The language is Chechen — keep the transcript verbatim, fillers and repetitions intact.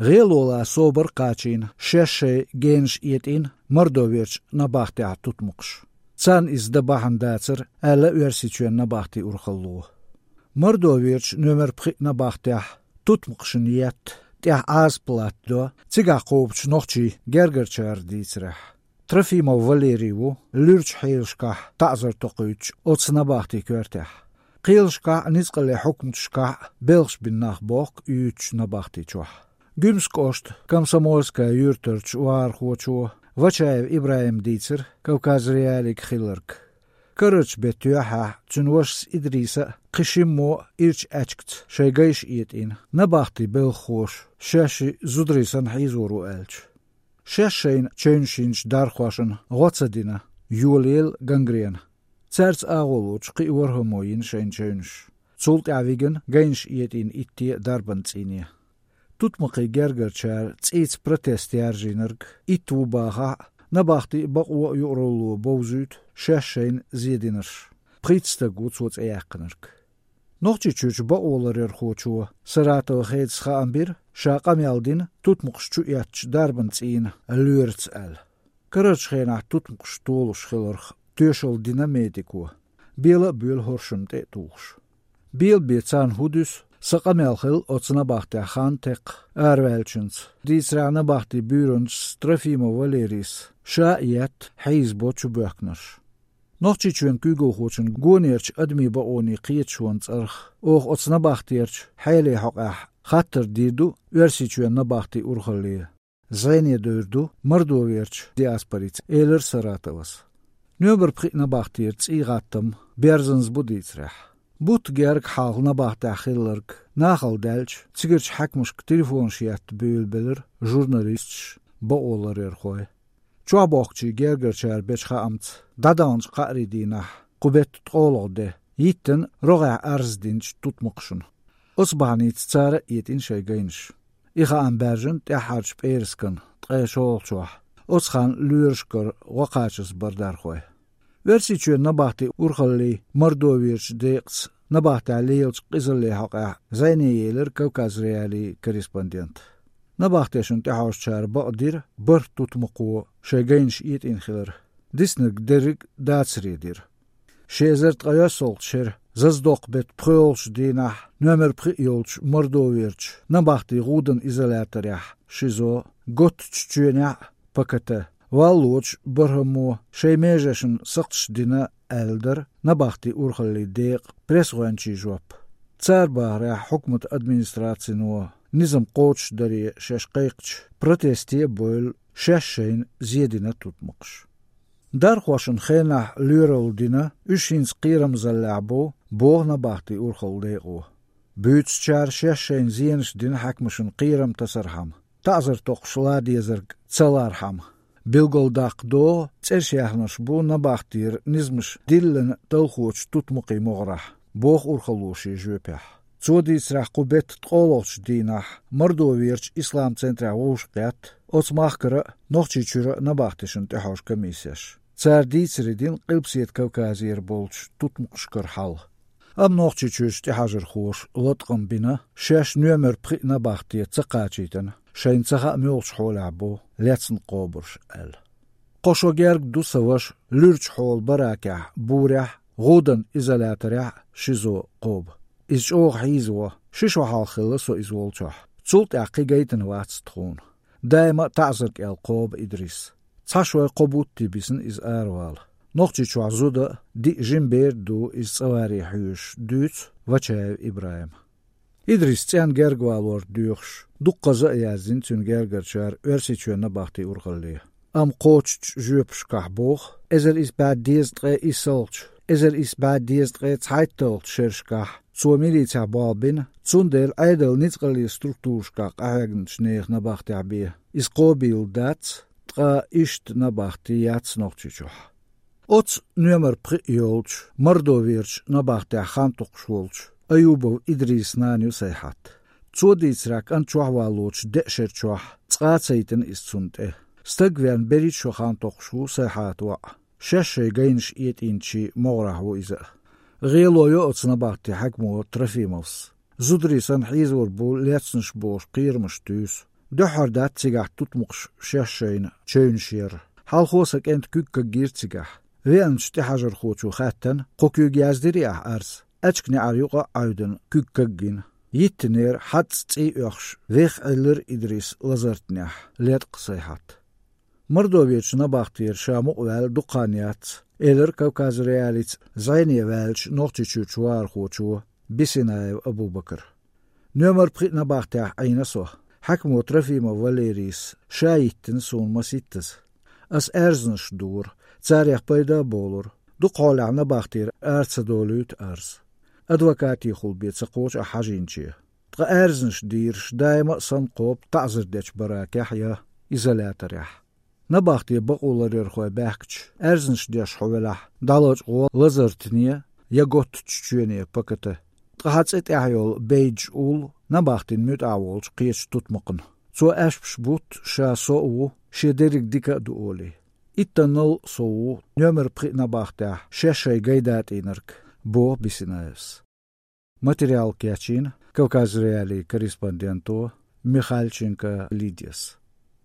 ГӀело лан собар кхачийна, шаьш шайн генаш этӀийна Мордоверчу набахтехь тутмакхаш. Царна иза дан бахьана дацара, аьлла Оьрсийчоьнан набахтин урхалло. Мордоверчу номер пхи набахтехь тутмакхашна етта, тӀехь Ӏазап латтадо, цигахь кхобучу нохчийн гергарчара дийцарехь. Трофимов Валерий ву луьрачу хьелашкахь таӀзар токхуьйтуш оцу набахтин коьртехь. Кхелашкахь а, ницкъаллин хьукматашкахь а белхаш бина нах бохку оцу набахти чохь. Гуьмсан кӀоштан Комсомольская юьртарчу вахархочо Вачаев ИбрахӀима дийцира Кавказ.Реалиига хилларг. Карарчу беттан юьххьехь цуьнан вашас Идриса а, кхин шиммо а ирчу аьчкаца шайн гайш этӀийна, набахтин белхахоша шаьш шиъ зударий санна хьийзор ву аьлча. Шаьш шайна чевнаш йинчу дархошна гӀо ца дина, йолаелла гангрена. Цаьрца агӀо лоцуш кхин а ворхӀаммо йина шайна чевнаш. Цул тӀаьхьа вигина гайнаш этӀийна итте а дарбан цӀийне. Тутмакхийн гергарчара цӀийца протест яржийнарг итт ву бахахь а, набахти а, бакъо а юкъаралло бовзуьйту шаьш шайна зен динарш. Пхийтта стаг ву цо цӀе яьккхинарг. Нохчийчуьрчу бакъоларъярхочо Саратова Хедас хаам бира, ша къамел дина тутмакхаш чу эцначу дарбан цӀийнан лоьраца аьлла. Карарчу хенахь тутмакхаш толуш хиларх тоьшалла дина медико. Бела а боьлу хӀоршамна тӀе а тухуш. Бела бен царна хӀун дуьсу, сан къамел хилла оцу набахтехь хан-текха араваьллачуьнца, дийцарехь, набахтин буьйранчас Трофимов Валерийс ша а етта, хьийзабо чубоьхкинарш. Нохчийчоьнан куьйгалхочун гонерчу адамийн бакъонийн кхеташонан цӀарах оха оцу набахтерчу хьелан хьокъехь хаттар дийр ду Оьрсийчоьнан набахтин урхалле. ЗӀене довр ду Мордоверчу диаспорица, элира Саратовас. Номер пхи набахтера цӀий гӀаттам берзанза бу дийцарехь. Бутт герга хьалха набахтехь хилларг нахала даьлча, цигарчу хьаькамашка телефонаш етта буьйлабелира журналисташ, бакъоларъярхой. Чохь бохкучийн гергарчара бечу хаамца, дӀадаханчу кхаарийн дийнахь, кху беттан ткъолгӀа де, йиттина рогӀехь арз динчу тутмакхашна. Оцу бахьаница цара а этӀийна шайн гайнаш. И хаам баьржина тӀаьххьарчу пӀераскан ткъе шолгӀачохь, оцу ханна лоьрашкара гӀо кхачаза бара дархой. Оьрсийчоьнан набахтин урхаллин Мордоверчу декъаца набахтехь лелачу къизаллин хьокъехь зӀене елира Кавказ.Реалиин корреспондент. Набахтешна тӀехьожучара бакъдира бархӀ тутмакхо шайн гайнаш этӀийна хилар. Диснарг дерриг а дацаре дира. Ши эзар ткъайоьссалгӀачу шеран зазадоккху беттан пхоьалгӀачу дийнахь номер пхи йолчу Мордоверчу набахтин гӀуданан изоляторехь, ШИЗО, Готтачу чоьнехь а, ПКТ, валлочу бархӀаммо шайн меженашна сакхташ дина, аьлла дара набахтин урхаллин декъан пресс-гӀоьнчийн жоп. Цара бахарехь, хьукматан администрацино низам кхочушдаре шаьш кхайкхачу протесте а бевлла, шаьш шайна зен дина тутмакхаш. Дархошна хенахь лоьралла дина, уьш хӀинца кхерамзаллехь бу, боху набахтин урхаллин декъо. Буьйцучара шаьш шайна зенаш дина хьаькамашна кхерам тасархьама, таӀзар токхуш лан дезарг ца лархьама. Билгалдаккха догӀу цӀерш яьхнарш бу набахтера низамаш диллина талхочу тутмакхийн могӀарехь, боху урхалло шен жоьпехь. Цо дийцарехь, кху беттан ткъолгӀачу дийнахь Мордоверчу Ислам-центрехь вовшахкхетта оцу махкара а, Нохчийчуьра а набахтешна тӀехьожу комиссеш. Цара дийцаре дина Къилбаседа Кавказера болчу тутмакхашкара хьал. Амма Нохчийчуьрчу тӀехьажархоша латкъам бина, шаьш номер пхи набахте ца кхачийтина, шайна ца хаьа муьлхачу хьолехь бу лецна кхобурш аьлла. Кхо шо герга ду сан ваша луьрачу хьолан баракехь, бурехь, гӀуданан изоляторехь а, ШИЗО кхоба. Иза чӀогӀа хьийзаво, ши шо хьалха хилла со иза волчохь. Цул тӀаьхьа кхин гайтина вац тхуна. Даима а таӀзар кӀел кхоба Идрис. Цхьа шой кхо бутте бисна иза аравала. Нохчийчохь зуда а, диъ жима бер а ду иза цӀа варе хьоьжуш, дуьйцу Вачаев ИбрахӀима. Идрис цӀенна герга валор доьхуш, дуккхаза а яздина цуьнан гергарчара Оьрсийчоьнан набахтин урхалле. Амма кхочучу жоьпашкахь боху, эзар исс бӀе дезткъе иссалгӀачу, эзар исс бӀе дезткъе цхьайтталгӀачу шерашкахь цо милицехь болх бина, цундела Ӏедалан ницкъаллин структурашкахь къахьегначу нехан набахтехь бен иза кхобийла дац, ткъа иштта набахти яц Нохчийчохь. Оцу номер пхи йолчу Мордоверчу набахтехь хан токхуш волчу Аюбов Идрисан нана ю Сайхьат. Цо дийцарехь, кӀант чохь валлочу деа шеран чохь цкъа а ца йитина иза цунна тӀе. Стаг веана берхӀитта шо хан токхуш ву Сайхьатан воӀ. Шаьш шайн гайнаш этӀийначийн могӀарехь ву иза а. ГӀело йо оцу набахтин хьаькамо Трофимовс. Зударий санна хьийзор бу лецнарш бохуш кхерамаш туьйсу. Дуьххьара дац цигахь тутмакхаш шаьш-шайна чевнаш яр. Хьалхо сан кӀентан куьг кагйира цигахь. Веанчу тӀехьажархочо хаьттина, кхо куьйга яздирий ахь Ӏаьржа. Аьчка неӀар юкъа а Ӏаьвдина, куьг кагйина. Йиттинера хьаццӀа цӀий оьхуш, вех Ӏиллира Идрис лазартнехь, леткъа сайхьат. Мордовечу набахтера ша мукъаваьлла дукха хан яц, элира Кавказ.Реалица зӀене ваьллачу Нохчийчуьрчу вахархочо Бисинаев Абубакара. Номер пхиъ набахтехь Ӏийна со. Хьаькамо Трофимов Валерийс ша йиттина суна масийттаза. Ас аьрзнаш дора, царех пайда а болура. Дукхахьолехь набахтера ара ца долуьйту Ӏаьржа. Адвокатехула бен ца кхочу ахь хьажийначе. Ткъа аьрзнаш дийраш даима а санна кхобу таӀзар дечу баракехь я изоляторехь. Набахте бакъо ларъярхой баьхкича, аьрзнаш деш хьо велахь, дӀалачкъо лазартне я готтачу чоьне паката. Ткъа хьан цӀе тӀехь йолу бейдж уллу набахтин муьтӀахь волчу кхечу тутмакхна. Цо аьшпаш бутт, ша со а ву, шен дерриг дика а ду олий. Иттаннал а со ву номер пхиъ набахтехь шаьш-шайн гай датӀийнарг, боху Бисинаевс. Материал кечйина Кавказ.Реалии корреспонденто Михальченко Лидияс.